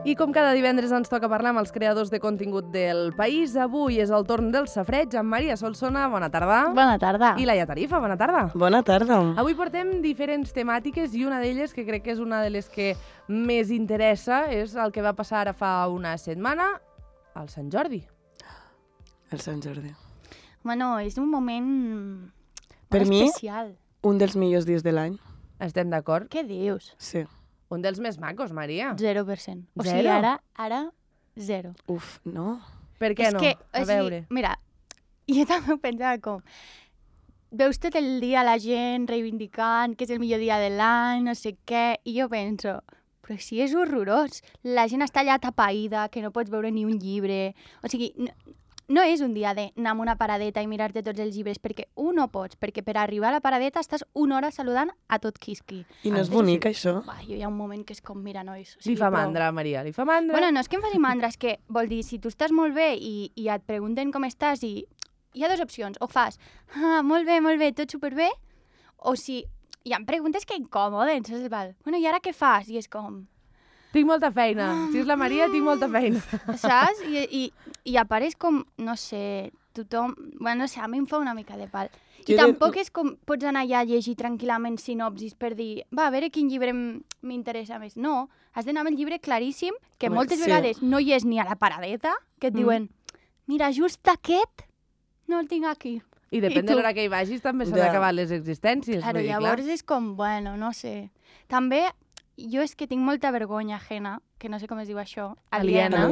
I com cada divendres ens toca parlar amb els creadors de contingut del país, avui és el torn del Safareig amb Maria Solsona, bona tarda. Bona tarda. I Laia Tarifa, bona tarda. Bona tarda. Avui portem diferents temàtiques i una d'elles, que crec que és una de les que més interessa, és el que va passar ara fa una setmana, al Sant Jordi. El Sant Jordi. Bueno, és un moment Per mi, especial. Un dels millors dies de l'any. Estem d'acord? Què dius? Sí. Un dels més macos, Maria. 0%. O sigui, Zero? ara, zero. Uf, no? Per què és no? Que, A veure. Mira, jo també ho pensava com... Veus tot el dia la gent reivindicant que és el millor dia de l'any, no sé què, i jo penso, però si és horrorós. La gent està allà tapaïda, que no pots veure ni un llibre. O sigui, no és un dia d'anar a una paradeta i mirar-te tots els llibres, perquè no pots, perquè per arribar a la paradeta estàs una hora saludant a tot quisqui. I no és bonic, això? Jo hi ha un moment que és com, mira, nois... Li fa mandra, Maria, li fa mandra. Bueno, no és que em faci mandra, és que vol dir, si tu estàs molt bé i et pregunten com estàs i hi ha dues opcions, o fas, molt bé, tot superbé, o si hi ha preguntes que incomoden, saps? Bueno, i ara què fas? I és com... Tinc molta feina. Si és la Maria, tinc molta feina. Saps? I a part és com, no sé, tothom... Bueno, no sé, a mi em fa una mica de pal. I tampoc és com pots anar allà a llegir tranquil·lament sinopsis per dir, va, a veure quin llibre m'interessa més. No, has d'anar amb el llibre claríssim, que moltes vegades no hi és ni a la paradeta, que et diuen, mira, just aquest no el tinc aquí. I depèn de l'hora que hi vagis, també s'han acabat les existències. Claro, llavors és com, bueno, no sé. També... Jo és que tinc molta vergonya ajena, que no sé com es diu això, aliena.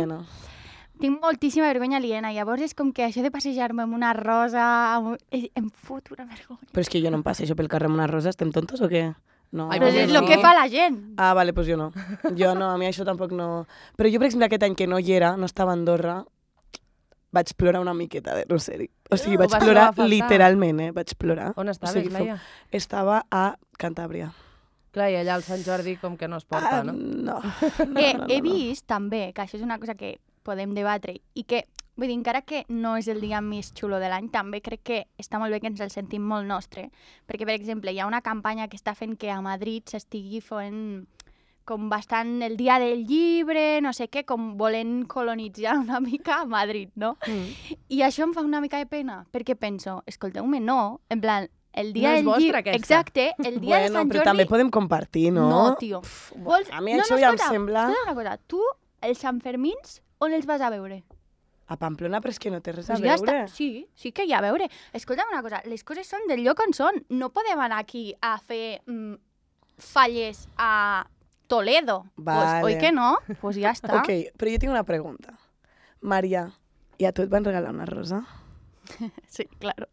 Tinc moltíssima vergonya aliena, llavors és com que això de passejar-me amb una rosa em fot una vergonya. Però és que jo no em passejo pel carrer amb una rosa, estem tontos o què? No. Però és el que fa la gent. Ah, vale, doncs jo no. Jo no, a mi això tampoc no... Però jo, per exemple, aquest any que no hi era, no estava a Andorra, vaig plorar una miqueta de Roseri. O sigui, vaig plorar literalment, vaig plorar. On estaves, Laia? Estava a Cantàbria. Clar, i allà al Sant Jordi com que no es porta, no? No. He vist també, que això és una cosa que podem debatre, i que, vull dir, encara que no és el dia més xulo de l'any, també crec que està molt bé que ens el sentim molt nostre, perquè, per exemple, hi ha una campanya que està fent que a Madrid s'estigui fent com bastant el dia del llibre, no sé què, com volent colonitzar una mica a Madrid, no? I això em fa una mica de pena, perquè penso, escolteu-me, no, en plan, el dia no és vostra, aquesta. Exacte, el dia de Sant Jordi... Però també podem compartir, no? No, tio. A mi això ja em sembla... Escolta una cosa, tu, els Santfermins, on els vas a veure? A Pamplona, però és que no té res a veure. Sí que hi ha a veure. Escolta una cosa, les coses són del lloc on són. No podem anar aquí a fer falles a Toledo. Vale. Pues, oi que no? Pues ja està. Ok, però jo tinc una pregunta. Maria, i a tu et van regalar una rosa? Sí, claro.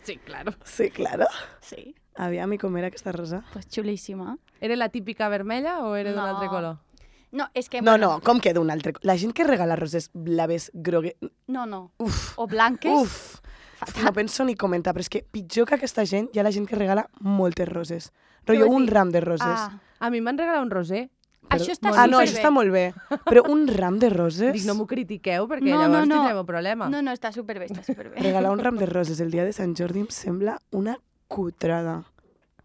Sí, claro. Sí, claro. Sí. Aviam, i com era aquesta rosa? Pues xulíssima. Era la típica vermella o era d'un altre color? No, és que... No, com que d'un altre color? La gent que regala roses blaves, grogues... No. Uf. O blanques. Uf. No penso ni comentar, però és que pitjor que aquesta gent hi ha la gent que regala moltes roses. Rollo un ram de roses. A mi em van regalar un roser. Això està superbé. No, això està molt bé. Però un ram de roses... Dic, no m'ho critiqueu, perquè llavors tindrem un problema. No, està superbé, està superbé. Regalar un ram de roses el dia de Sant Jordi em sembla una cutrada.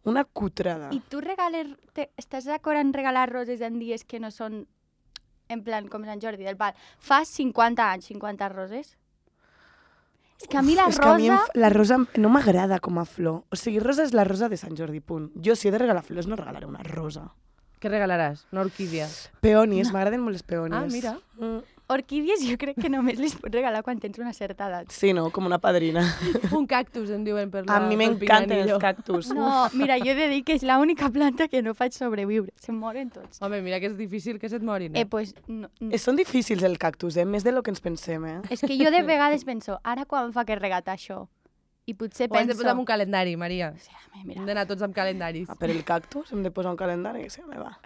Una cutrada. I tu estàs d'acord en regalar roses en dies que no són en plan com Sant Jordi, del pal? Fas 50 anys, 50 roses? És que a mi la rosa... És que a mi la rosa no m'agrada com a flor. O sigui, rosa és la rosa de Sant Jordi, punt. Jo, si he de regalar flors, no regalaré una rosa. Què regalaràs? Una orquídia? Peonis, m'agraden molt les peonis. Ah, mira. Orquídies jo crec que només les pots regalar quan tens una certa edat. Sí, no? Com una padrina. Un cactus, en diuen per la... A mi m'encanten els cactus. No, mira, jo he de dir que és l'única planta que no faig sobreviure. Se'm moren tots. Home, mira que és difícil que se't morin. Pues... No. Són difícils els cactus, més de lo que ens pensem, És que jo de vegades penso, ara quan fa que regatar això? I potser penso... Ho has de posar en un calendari, Maria. Sí, mira. Hem d'anar tots amb calendaris. Per el cactus hem de posar un calendari, que se me va.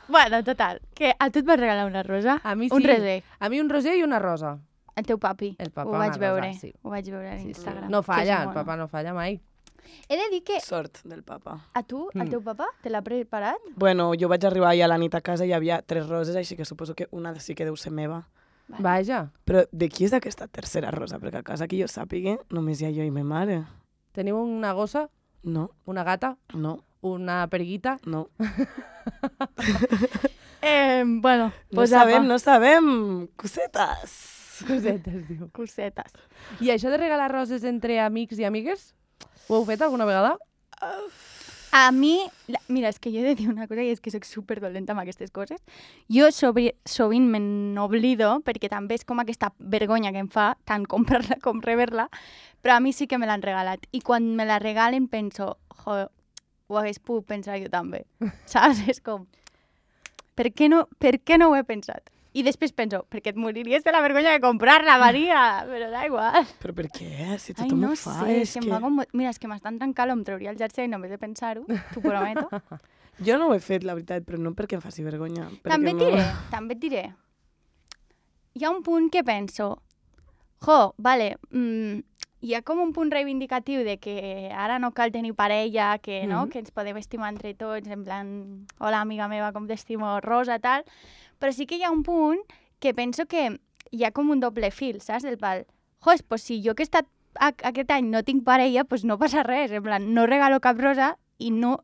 Bueno, total, que a tu et vas regalar una rosa? A mi sí. Un roser? A mi un roser i una rosa. El teu papi? El papa, ho vaig veure. Rosa, sí. Ho vaig veure a Instagram. No falla, el papa no falla mai. He de dir que... Sort del papa. A tu, el teu papa, te l'ha preparat? Bueno, jo vaig arribar ja a la nit a casa i hi havia 3 roses, així que suposo que una sí que deu ser meva. Vale. Vaja. Però de qui és aquesta tercera rosa? Perquè a casa que jo sàpiga només hi ha jo i ma mare. Teniu una gossa? No. Una gata? No. Una perguita? No. Bueno, No pues sabem. Cosetes. Cosetes, diu. Cosetes. I això de regalar roses entre amics i amigues, ho heu fet alguna vegada? A mi, mira, és que jo he de dir una cosa i és que soc superdolenta amb aquestes coses. Jo sovint me n'oblido perquè també és com aquesta vergonya que em fa tant comprar-la com rebre-la, però a mi sí que me l'han regalat. I quan me la regalen penso, ho hagués pogut pensar jo també. Saps? És com, per què no ho he pensat? I després penso, perquè et moriries de la vergonya de comprar-la, Maria, però da igual. Però per què? Si tothom ho fa, és que... Mira, és que m'estan trencant, em trauria el jersei només de pensar-ho, t'ho prometo. Jo no ho he fet, la veritat, però no perquè em faci vergonya. També et diré. Hi ha un punt que penso, hi ha com un punt reivindicatiu de que ara no cal tenir parella, que, no? Que ens podem estimar entre tots, en plan, hola, amiga meva, com t'estimo, Rosa, tal. Però sí que hi ha un punt que penso que hi ha com un doble fil, saps? Del pal, pues si jo que he estat aquest any no tinc parella, pues no passa res, en plan, no regalo cap rosa i no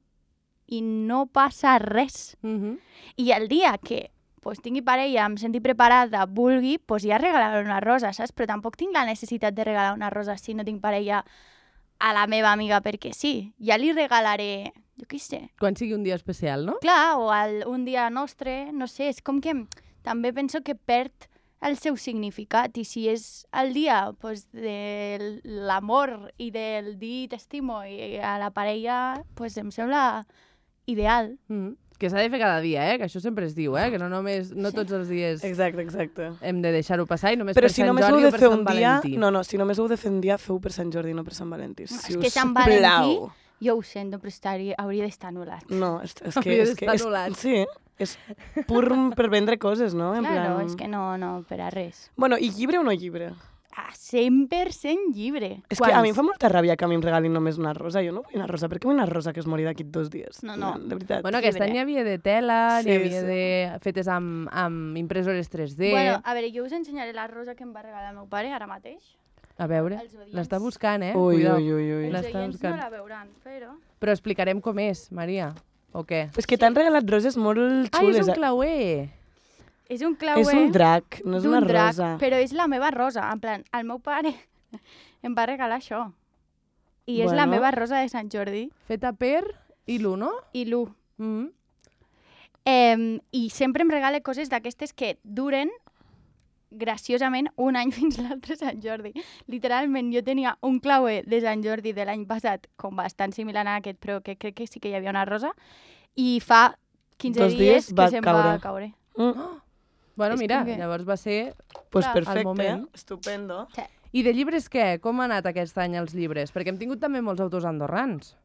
passa res. I el dia que pues, tingui parella, em senti preparada, vulgui, pues ja regalaré una rosa, saps? Però tampoc tinc la necessitat de regalar una rosa si no tinc parella a la meva amiga perquè sí. Ja li regalaré, jo què sé. Quan sigui un dia especial, no? Clar, o un dia nostre, no sé, és com que també penso que perd el seu significat i si és el dia pues, de l'amor i del dir t'estimo i a la parella, pues em sembla ideal. Que s'ha de fer cada dia, que això sempre es diu, que no tots els dies Exacte. hem de deixar-ho passar i només però per Sant Jordi o per Sant Valentí. Si només ho heu de fer un dia, feu per Sant Jordi, no per Sant Valentí. No, és que Sant Valentí, jo ho sento, però hauria d'estar anul·lat. No, és que... Hauria d'estar anul·lat. Sí, és pur per vendre coses, no? Claro, és que no, per a res. Bueno, i llibre o no llibre? 100% llibre. És que a mi em fa molta ràbia que a mi em regalin només una rosa. Jo no vull una rosa. Per què vull una rosa que es mori d'aquí 2 dies? No. De veritat. Bueno, aquest any hi havia de tela, n'hi havia de fetes amb impressores 3D... Bueno, a veure, jo us ensenyaré la rosa que em va regalar el meu pare ara mateix. A veure, l'està buscant, Ui. Els oients no la veuran, però... Però explicarem com és, Maria, o què? És que t'han regalat roses molt xules. És un clauer! És un clauer... És un drac, no és una rosa. Però és la meva rosa. En plan, el meu pare em va regalar això. I és la meva rosa de Sant Jordi. Feta per Ilu, no? Ilu. I sempre em regala coses d'aquestes que duren graciosament un any fins l'altre Sant Jordi. Literalment, jo tenia un clauer de Sant Jordi de l'any passat, com bastant similar a aquest, però que crec que sí que hi havia una rosa, i fa 15 dies que se'm va caure. Bueno, mira, llavors va ser perfecte, moment. Estupendo. Sí. I de llibres què? Com ha anat aquest any els llibres? Perquè hem tingut també molts autors andorrans.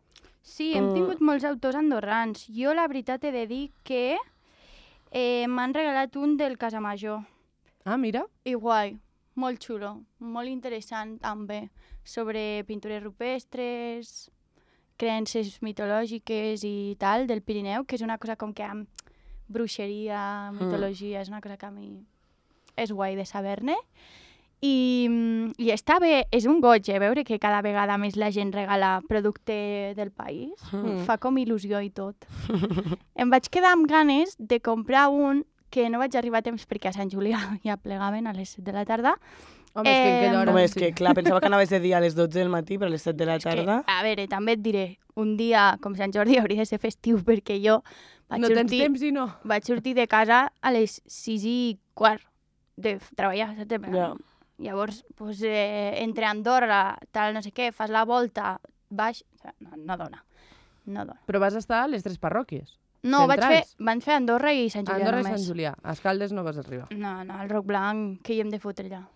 Sí, hem tingut molts autors andorrans. Jo la veritat he de dir que m'han regalat un del Casamajor. Ah, mira. I guai, molt xulo, molt interessant també, sobre pintures rupestres, creences mitològiques i tal, del Pirineu, que és una cosa com que amb bruixeria, mitologia, és una cosa que a mi és guai de saber-ne. I està bé, és un goig, veure que cada vegada més la gent regala producte del país. Fa com il·lusió i tot. Em vaig quedar amb ganes de comprar un que no vaig arribar a temps perquè a Sant Julià ja plegaven a les 7 de la tarda. Home, és que en aquella hora... Home, és que clar, pensava que anaves de dia a les 12 del matí, però a les 7 de la tarda... A veure, també et diré, un dia com Sant Jordi hauria de ser festiu perquè jo no tens temps i no. Vaig sortir de casa a les 6:15 de treballar, saps? Ja. Llavors, pues, entre Andorra, tal, no sé què, fas la volta, baix... No dona. Però vas estar a les 3 parròquies? No, van fer Andorra i Sant Julià Andorra només. i Sant Julià. A Escaldes no vas arribar. No, el Roc Blanc, que hi hem de fotre allà.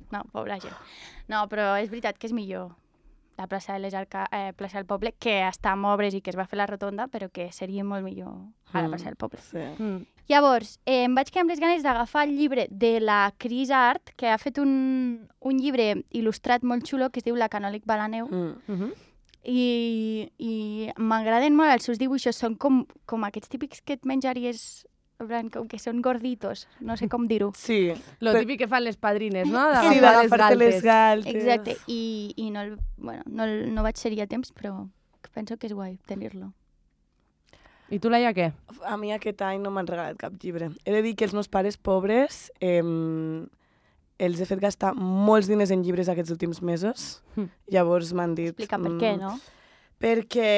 No, pobra gent. No, però és veritat que és millor la plaça plaça del Poble, que està en obres i que es va fer la rotonda, però que seria molt millor a la plaça del Poble. Sí. Llavors, em vaig quedar amb les ganes d'agafar el llibre de la Cris Art, que ha fet un llibre il·lustrat molt xulo que es diu La Canòlic Balaneu. I m'agraden molt els seus dibuixos, són com aquests típics que et menjaries, com que són gorditos, no sé com dir-ho. Sí. Lo típic que fan les padrines, no? Sí, d'agafar-te les galtes. Exacte, i no vaig ser a temps, però penso que és guai tenir-lo. I tu, Laia, què? A mi aquest any no m'han regalat cap llibre. He de dir que els meus pares pobres els he fet gastar molts diners en llibres aquests últims mesos. Llavors m'han dit... Explica per què, no? Perquè...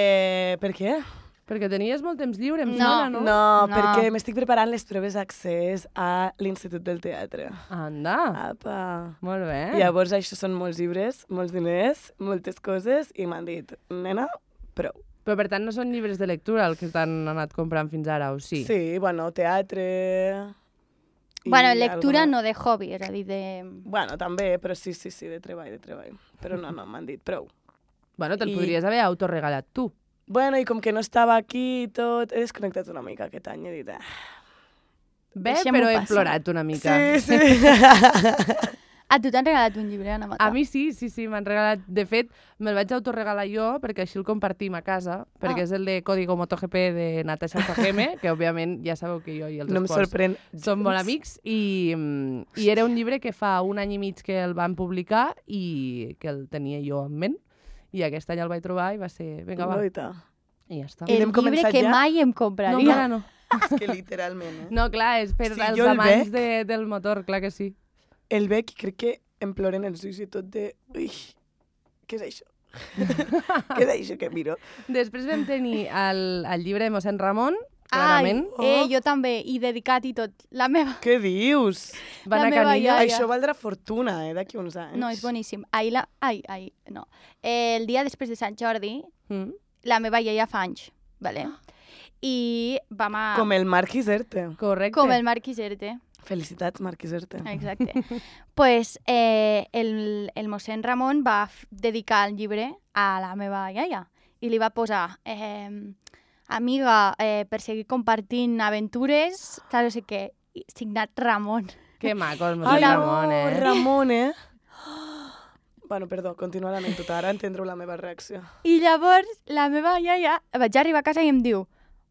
Per què? Perquè tenies molt temps lliure, em No. sembla, no? No, perquè m'estic preparant les proves d'accés a l'Institut del Teatre. Anda, Apa. molt bé. Llavors això són molts llibres, molts diners, moltes coses, i m'han dit, nena, prou. Però per tant no són llibres de lectura el que t'han anat comprant fins ara, o sí? Sí, bueno, teatre... i Bueno, lectura alguna- no de hobby, és a dir, de... Bueno, també, però sí, de treball. Però no, m'han dit prou. Bueno, te'l I- podries haver autorregalat tu. Bueno, i com que no estava aquí i tot, he desconnectat una mica aquest any, he dit... Bé, Deixem-ho però he passar. plorat una mica. Sí. A tu t'han regalat un llibre, Ana Mata? A mi sí, m'han regalat. De fet, me'l vaig autorregalar jo perquè així el compartim a casa, perquè és el de Código MotoGP de Natasha Fajeme, que òbviament ja sabeu que jo i els No em esports sorprèn. som molt amics, i era un llibre que fa un any i mig que el van publicar i que el tenia jo en ment, i aquest any el vaig trobar i va ser, vinga, va, Noita. i ja està. I El hem llibre començat que ja? mai em No, compraria. encara no. És que literalment, No, clar, és per Si als jo el amants bec- del motor, clar que sí. El bec crec que em ploren els ulls i tot de... Ui, què és això? Què és això que miro? Després vam tenir el llibre de mossèn Ramon, Ai, clarament. jo també, i dedicat i tot. La meva... Què dius? Van la a meva Canillo. iaia. Això valdrà fortuna, d'aquí uns anys. No, és boníssim. Ai, no. El dia després de Sant Jordi, Mm. la meva iaia fa anys, vale? I vam a... Com el Marc Iserte. Correcte. Com el Marc Iserte. Felicitats, Marc Iserte. Exacte. Pues el mossèn Ramon va dedicar el llibre a la meva iaia i li va posar amiga, per seguir compartint aventures, tal, no sé què, signat Ramon. Que maco el Ai, mossèn no, Ramon, eh? Ramon, eh? Bueno, perdó, continua l'anècdota, ara entendreu la meva reacció. I llavors la meva iaia vaig arribar a casa i em diu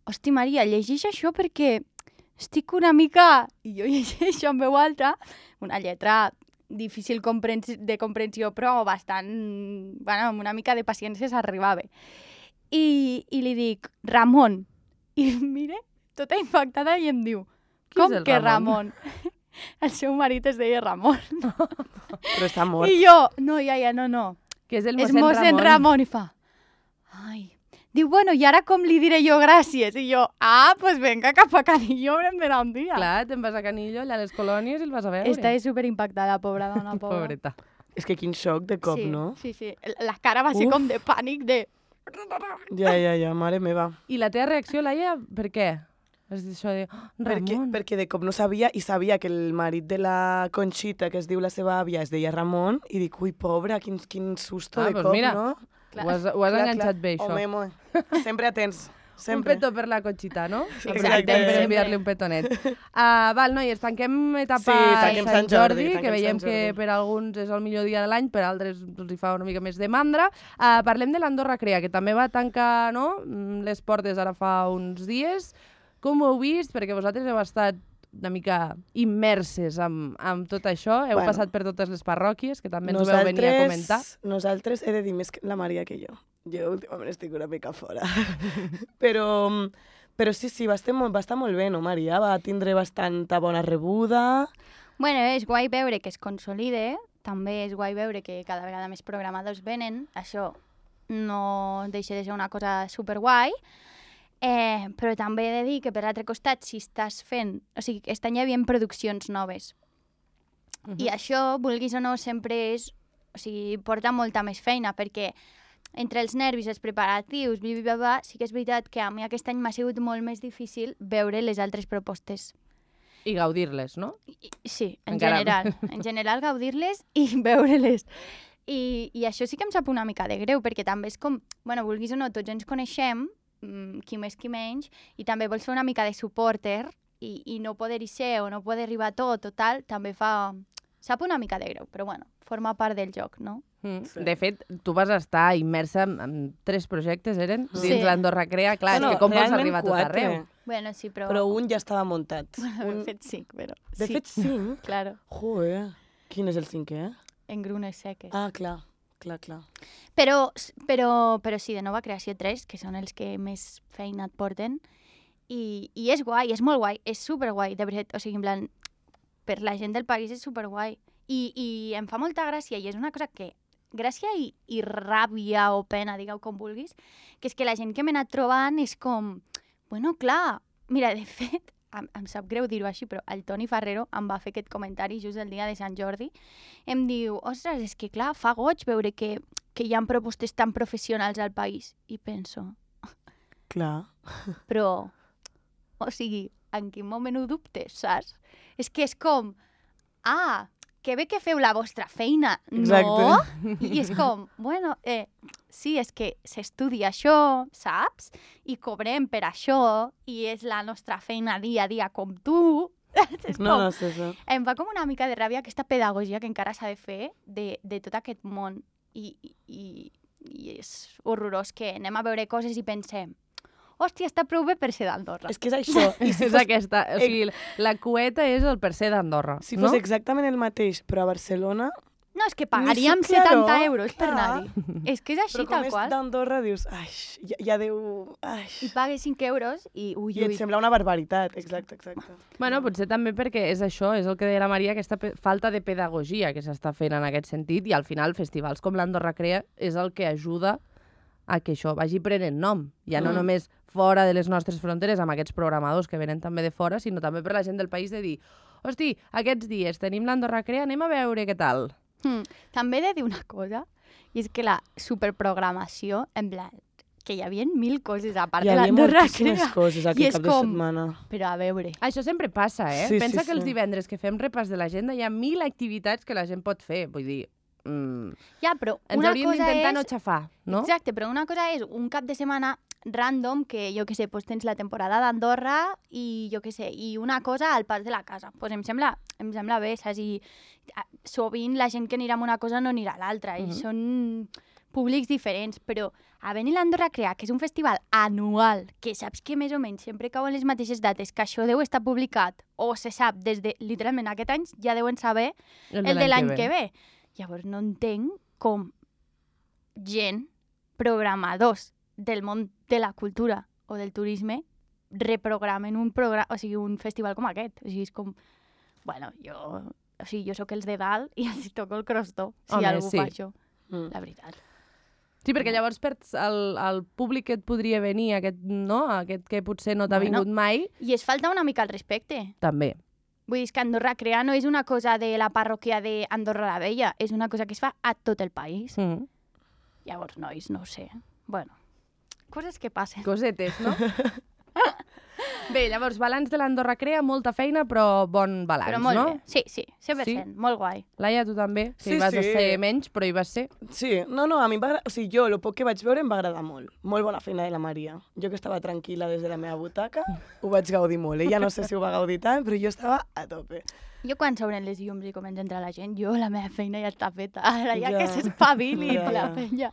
hosti, Maria, llegeix això perquè estic una mica... I jo llegeixo en veu alta, una lletra difícil de comprensió, però bastant... Bueno, amb una mica de paciència s'arribava. I li dic, Ramon. I mire, tota impactada, i em diu, Qui és com el que Ramon? Ramon? El seu marit es deia Ramon. Però està mort. I jo, no, iaia, no. Que és el És mossèn mossèn Ramon. I fa, ai... Diu, bueno, i ara com li diré jo gràcies? I jo, pues venga, cap a Canillo, haurem d'anar un dia. Clar, te'n vas a Canillo, allà a les colònies, i el vas a veure. Està superimpactada, pobra dona, pobra. Pobreta. És que quin xoc de cop, sí, no? Sí. La cara va ser Uf. com de pànic, de... Ja, mare meva. I la teva reacció, Laia, per què? És això de... Oh, Ramon. Perquè de cop no sabia, i sabia que el marit de la Conxita, que es diu la seva àvia, es deia Ramon, i dic, ui, pobra, quin susto Ah, de doncs cop, mira. no? Ho has enganxat bé, això. Home, sempre atents. Un Sempre. petó per la Conxita, no? Exacte. Aprofitem per Sempre. enviar-li un petonet. Val, noies, tanquem etapa Sí, tanquem Sant Sant Jordi, Jordi, que tanquem veiem Sant que Jordi. per alguns és el millor dia de l'any, per altres els hi fa una mica més de mandra. Parlem de l'Andorra Crea, que també va tancar, no?, les portes ara fa uns dies. Com ho heu vist? Perquè vosaltres heu estat una mica immerses amb tot això, heu passat per totes les parròquies, que també ens ho veu venir a comentar. Nosaltres he de dir més que la Maria que jo. Jo últimament estic una mica fora. però sí, va estar molt bé, no, Maria? Va tindre bastanta bona rebuda. Bueno, és guai veure que es consolide, també és guai veure que cada vegada més programadors venen, això no deixa de ser una cosa superguai, però també he de dir que per l'altre costat, si estàs fent... O sigui, aquest any hi havia produccions noves. I això, vulguis o no, sempre és... O sigui, porta molta més feina, perquè entre els nervis, els preparatius, sí que és veritat que a mi aquest any m'ha sigut molt més difícil veure les altres propostes. I gaudir-les, no? Sí, en Encara. general. En general, gaudir-les i veure-les. I això sí que em sap una mica de greu, perquè també és com... Bueno, vulguis o no, tots ens coneixem, qui més qui menys, i també vols fer una mica de supporter i no poder-hi ser o no poder arribar a tot o tal, també fa... Sap una mica de greu, però bueno, forma part del joc, no? Sí. De fet, tu vas estar immersa en 3 projectes, eren? Sí. Dins l'Andorra Crea. Clar, és que com vols arribar a tot arreu? Bueno, sí, però... Però un ja estava muntat. He fet 5, però... De sí, fet, 5? claro, Joder. Quin és el 5è? en grunes seques. Ah, clar. Però sí, de nova creació 3, que són els que més feina et porten, I és guai, és molt guai, és superguai, de veritat. O sigui, en plan, per la gent del país és superguai. I em fa molta gràcia, i és una cosa que... Gràcia i ràbia o pena, digueu com vulguis, que és que la gent que m'he anat trobant és com... Bueno, clar, mira, de fet, em sap greu dir-ho així, però el Toni Ferrero em va fer aquest comentari just el dia de Sant Jordi. Em diu, ostres, és que clar, fa goig veure que hi ha propostes tan professionals al país. I penso... Clar. Però, o sigui, en quin moment ho dubtes, saps? És que és com, que bé que feu la vostra feina, Exacte. no? I és com, bueno, sí, és que s'estudia això, saps? I cobrem per això, i és la nostra feina dia a dia com tu. És No, com, sí. em fa com una mica de ràbia aquesta pedagogia que encara s'ha de fer de tot aquest món. I és horrorós que anem a veure coses i pensem, hòstia, està prou bé per ser d'Andorra. És que és això. I si És aquesta, o sigui, la cueta és el per ser d'Andorra, Si no? fos exactament el mateix, però a Barcelona... No, és que pagaríem Ni claro, 70 euros per clar. anar-hi. És que és així, Però com tal és qual. d'Andorra dius, ja deu... I pagues 5 euros i ui, I et sembla una barbaritat, exacte. Bueno, potser també perquè és això, és el que deia la Maria, aquesta falta de pedagogia que s'està fent en aquest sentit, i al final festivals com l'Andorra Crea és el que ajuda a que això vagi prenent nom. Ja no només fora de les nostres fronteres amb aquests programadors que venen també de fora, sinó també per la gent del país de dir, hosti, aquests dies tenim l'Andorra Crea, anem a veure què tal. També he de dir una cosa, i és que la superprogramació, en plan, que hi havia 1000 coses a part Hi de havia l'Andorra moltíssimes Crea. coses I aquí és cap de com, setmana. però a veure... Això sempre passa, eh? Sí, Pensa sí, que els sí. divendres que fem repàs de l'agenda hi ha 1000 activitats que la gent pot fer. Vull dir, Ja, però ens una hauríem cosa d'intentar és... no xafar, no? Exacte, però una cosa és un cap de setmana random que, jo què sé, pues tens la temporada d'Andorra i, jo què sé, i una cosa al pas de la casa. Pues em sembla bé, saps? I sovint la gent que anirà a una cosa no anirà a l'altra, i són públics diferents, però a venir l'Andorra Crea, que és un festival anual, que saps que més o menys sempre cauen les mateixes dates, que això deu estar publicat, o se sap des de, literalment, aquest any ja deuen saber el de l'any que ve. Llavors no entenc com gent, programadors del món de la cultura o del turisme, reprogramen un programa, o sigui, un festival com aquest. O sigui, és com... Bueno, jo sóc els de dalt i els toco el crostó, si Home, algú sí. fa això. La veritat. Sí, perquè llavors perds el públic que et podria venir, aquest que potser no t'ha vingut mai, I es falta una mica el respecte. també. Vull dir, que Andorra Crea no és una cosa de la parròquia d'Andorra la Vella, és una cosa que es fa a tot el país. Llavors, nois, no ho sé. Bueno, coses que passen. Cosetes, no? Bé, llavors, balanç de l'Andorra Crea, molta feina, però bon balanç, Però molt no? bé. Sí, 100%, Sí? molt guai. Laia, tu també? Que Sí, hi vas sí. ser menys, però hi vas ser. Sí, no, a mi em va agradar, o sigui, jo, el poc que vaig veure em va agradar molt. Molt bona feina de la Maria. Jo que estava tranquil·la des de la meva butaca, ho vaig gaudir molt. Ella no sé si ho va gaudir tant, però jo estava a tope. Jo quan s'obren les llums i comença a entrar la gent, la meva feina ja està feta. Ara ja Ja. que s'espavili Ja, la ja. penya.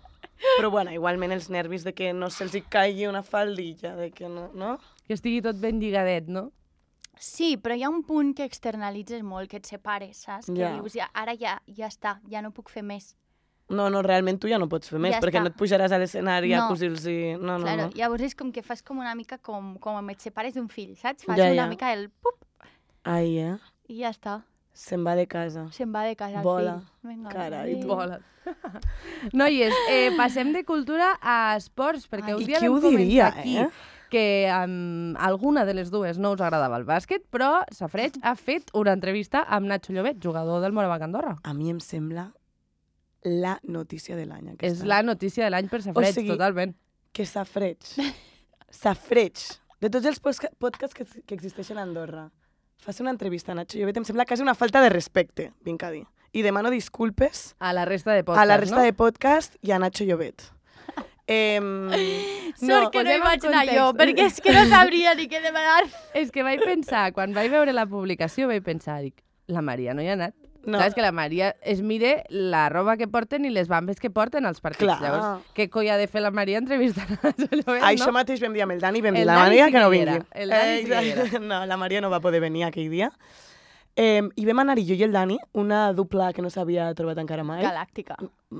Però bueno, igualment els nervis de que no se'ls hi caigui una faldilla, de que no? Que estigui tot ben lligadet, no? Sí, però hi ha un punt que externalitzes molt, que et separes, saps? Que Ja. dius, ara ja està, ja no puc fer més. No, realment tu ja no pots fer més, Ja perquè està. no et pujaràs a l'escenari a No. cosir-los... No. Claro, llavors és com que fas com una mica com et separes d'un fill, saps? Fas Ja, una ja. mica el pup Ai, i ja està. Se'n va de casa. Se'n va de casa el Vola. fill. Vinga, Carai, adéu. tu. Volen. Noies, passem de cultura a esports, perquè Ai. un I dia qui vam ho diria, comentar aquí eh? que alguna de les dues no us agradava el bàsquet, però Safreig ha fet una entrevista amb Nacho Llobet, jugador del Morabanc Andorra. A mi em sembla la notícia de l'any. És la notícia de l'any per Safreig, O sigui, totalment. Que Safreig, de tots els podcasts que existeixen a Andorra, fas una entrevista a Nacho Llobet, em sembla quasi una falta de respecte, vinc a dir. I demano disculpes A la resta de podcast, a la resta no? de podcast i a Nacho Llobet. Sort que no hi posem en vaig anar jo, context. perquè és que no sabria ni què demanar. És que vaig pensar, quan vaig veure la publicació, vaig pensar, dic, la Maria no hi ha anat. No. Saps que la Maria es mire la roba que porten i les bambes que porten als partits. Clar. Llavors, què coi ha de fer la Maria entrevistant a Nacho Llobet, Això no? mateix vam dir amb el Dani, vam dir El la Dani Maria sí que no que hi vingui. era, el Dani sí que hi era. No, la Maria no va poder venir aquell dia. I vam anar-hi jo i el Dani, una dupla que no s'havia trobat encara mai. Galàctica.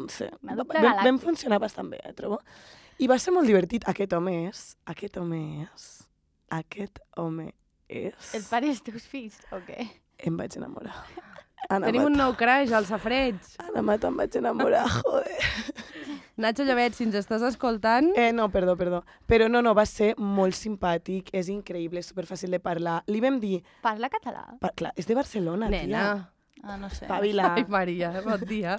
Sí. Una dupla Vam galàctica. funcionar bastant bé, trobo. I va ser molt divertit. Aquest home és aquest home és... El pare dels teus fills, o què? Em vaig enamorar. Tenim un nou crush, al Safreig. Ana Mata, em vaig enamorar, joder. Nacho Llobet, si ens estàs escoltant... No, perdó. Però no, va ser molt simpàtic, és increïble, és superfàcil de parlar. Li vam dir... Parla català? Clar, és de Barcelona, Nena. tia. Ah, no sé. Espavila. Ai, Maria, bon dia.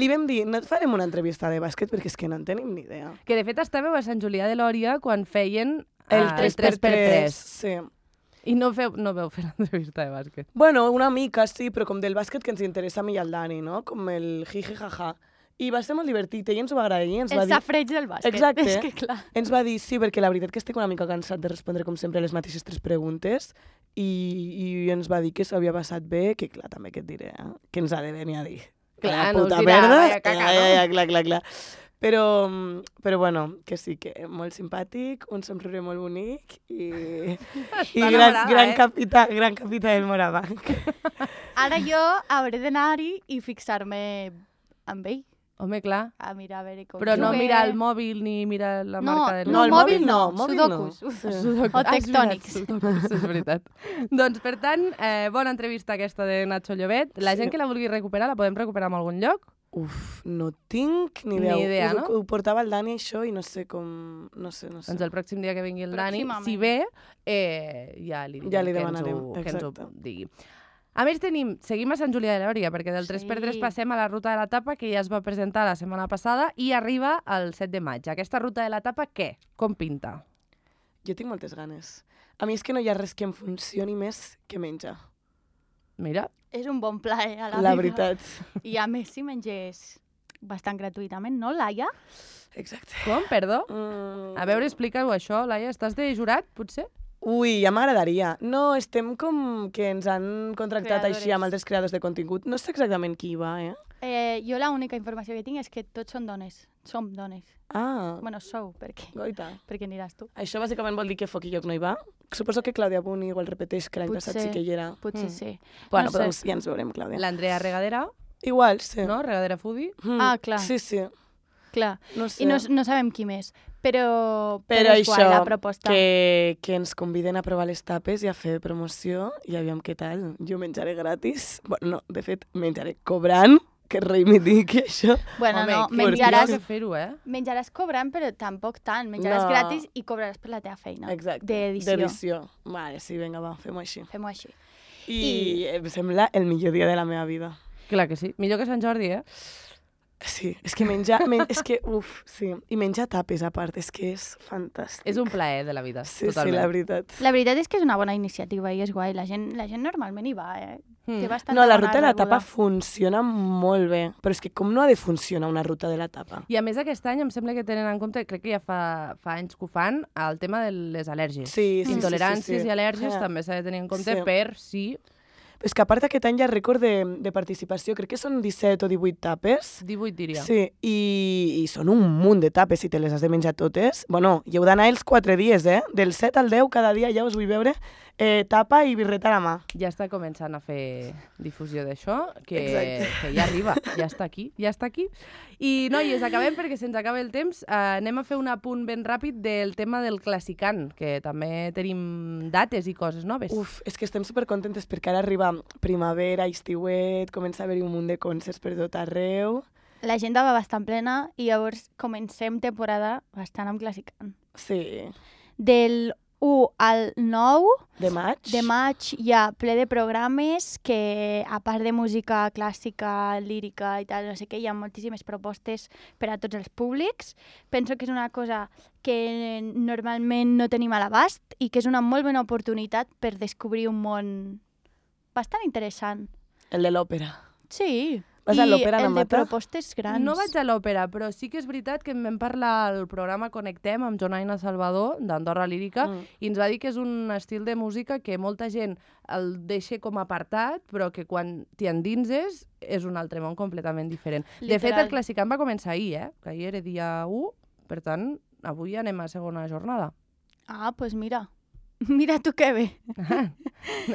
Li vam dir, no et farem una entrevista de bàsquet perquè és que no en tenim ni idea. Que de fet estàveu a Sant Julià de Lòria quan feien El 3x3. Sí. I no veu fer l'entrevista de bàsquet. Bueno, una mica, sí, però com del bàsquet que ens interessa a mi i al Dani, no? Com el jiji jaja. I va ser molt divertit, ell ens ho va agrair. Ens va El dir... safreig del bàsquet. Exacte. És que clar. Ens va dir, sí, perquè la veritat que estic una mica cansat de respondre, com sempre, les mateixes 3 preguntes i ens va dir que s'havia passat bé, que clar, també que et diré, que ens ha de venir a dir. Clar, La no us puta dirà, merda. vaya caca, no? Clar. Però bueno, que sí, que molt simpàtic, un somriure molt bonic i gran capità del Morabanc. Ara jo hauré d'anar-hi i fixar-me amb ell. Home, clar. A mirar, a veure com Però no juga. mirar el mòbil ni mirar la marca del No, el mòbil no. Sudokus. Sudokus. O tectònics. Sudokus, és veritat. Doncs, per tant, bona entrevista aquesta de Nacho Llobet. La gent que la vulgui recuperar, la podem recuperar en algun lloc? Uf, no tinc ni idea. Ni idea, no? Ho portava el Dani, això, i no sé com... No sé. Doncs el pròxim dia que vingui el Dani, si ve, ja li demanarem, que ens ho exacte. digui. A més, seguim a Sant Julià de Lòria, perquè del 3x3 passem a la ruta de la tapa, que ja es va presentar la setmana passada, i arriba el 7 de maig. Aquesta ruta de la tapa, què? Com pinta? Jo tinc moltes ganes. A mi és que no hi ha res que em funcioni més que menjar. Mira. És un bon pla, a la vida. La veritat. I a més, si mengés bastant gratuïtament, no, Laia? Exacte. Com? Perdó? A veure, explica-ho això, Laia. Estàs de jurat, potser? Ui, ja m'agradaria. No, estem com que ens han contractat Creadores. així amb altres creadors de contingut. No sé exactament qui va, Jo l'única informació que tinc és que tots són dones. Som dones. Ah, Bueno, sou, perquè goita. aniràs tu. Això bàsicament vol dir que Foc i Lloc no hi va? Suposo que Clàudia Buni igual repeteix, que l'any passat sí que hi era. Potser sí. Bueno, no sé. però ja ens veurem, Clàudia. L'Andrea Regadera, Igual, sí. no? Regadera Foodie. Ah, clar. Sí, sí. Clar. No sé. I no sabem qui més. Però Però és guai, la això, proposta. que ens conviden a provar les tapes i a fer promoció i aviam què tal. Jo menjaré gratis. Bueno, no, de fet, menjaré cobrant, que reivindiqui això. Bueno, Home, no, que menjaràs, hauria de fer-ho, menjaràs cobrant, però tampoc tant. Menjaràs No. gratis i cobraràs per la teva feina. Exacte. D'edició. D'edició. Vale, sí, vinga, va, fem-ho així. Fem-ho així. I em sembla el millor dia de la meva vida. Clar que sí. Millor que Sant Jordi, Sí, és que menjar... és que, sí. I menjar tapes, a part, és que és fantàstic. És un plaer de la vida, Sí, totalment. sí, la veritat. La veritat és que és una bona iniciativa i és guai. La gent normalment hi va, Té bastanta No, la bona ruta de la rebuda. tapa funciona molt bé, però és que com no ha de funcionar una ruta de la tapa? I a més aquest any em sembla que tenen en compte, crec que ja fa anys que ho fan, el tema de les al·lèrgies. Sí, sí, Intoleràncies sí. i al·lèrgies Ah. també s'ha de tenir en compte Sí. per si És que a part aquest any hi ha rècord de participació, crec que són 17 o 18 tapes. 18 diria. Sí, i són un munt de tapes si te les has de menjar totes. Bueno, i heu d'anar els 4 dies, Del 7 al 10 cada dia ja us vull veure tapa i birreta a la mà. Ja està començant a fer difusió d'això, que Exacte. ja arriba, ja està aquí. I, noies, acabem perquè se'ns acaba el temps. Anem a fer un apunt ben ràpid del tema del Classicant, que també tenim dates i coses noves. Uf, és que estem supercontentes perquè ara arriba primavera, estiuet, comença a haver-hi un munt de concerts per tot arreu. L'agenda va bastant plena i llavors comencem temporada bastant amb Classicant. Sí. Del 1 al 9 De maig. de maig hi ha ple de programes que, a part de música clàssica, lírica i tal, no sé què, hi ha moltíssimes propostes per a tots els públics. Penso que és una cosa que normalment no tenim a l'abast i que és una molt bona oportunitat per descobrir un món bastant interessant. El de l'òpera. Sí. Vas a l'òpera, I Ana el de Mata? propostes grans. No vaig a l'òpera, però sí que és veritat que em vam parlar al programa Connectem amb Jonaina Salvador, d'Andorra Lírica, i ens va dir que és un estil de música que molta gent el deixa com apartat, però que quan t'hi endinses és un altre món completament diferent. De fet, el Classicant va començar ahir, que ahir era dia 1, per tant, avui anem a segona jornada. Ah, doncs pues mira. Mira tu que bé.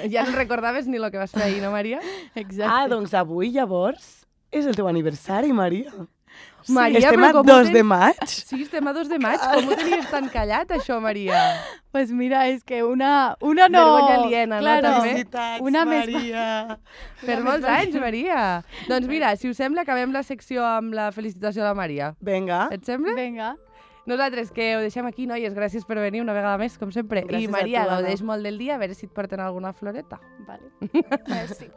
Ja no recordaves ni el que vas fer ahir, no, Maria? Exacte. Ah, doncs avui, llavors, és el teu aniversari, Maria. Maria, Estem però a com 2 de maig? Sí, estem a 2 de maig. Com ho tenies tan callat, això, Maria? Pues mira, és que una no... Vergonya aliena, no, claro, també? Felicitats, Una més- Maria. Per molts anys, Maria. Doncs mira, si us sembla, acabem la secció amb la felicitació de la Maria. Vinga. Et sembla? Vinga. Nosaltres, que ho deixem aquí, noies. Gràcies per venir una vegada més, com sempre. Gràcies I a Maria, tu, Anna. gaudeix molt del dia, a veure si et porten alguna floreta. Vale. Merci.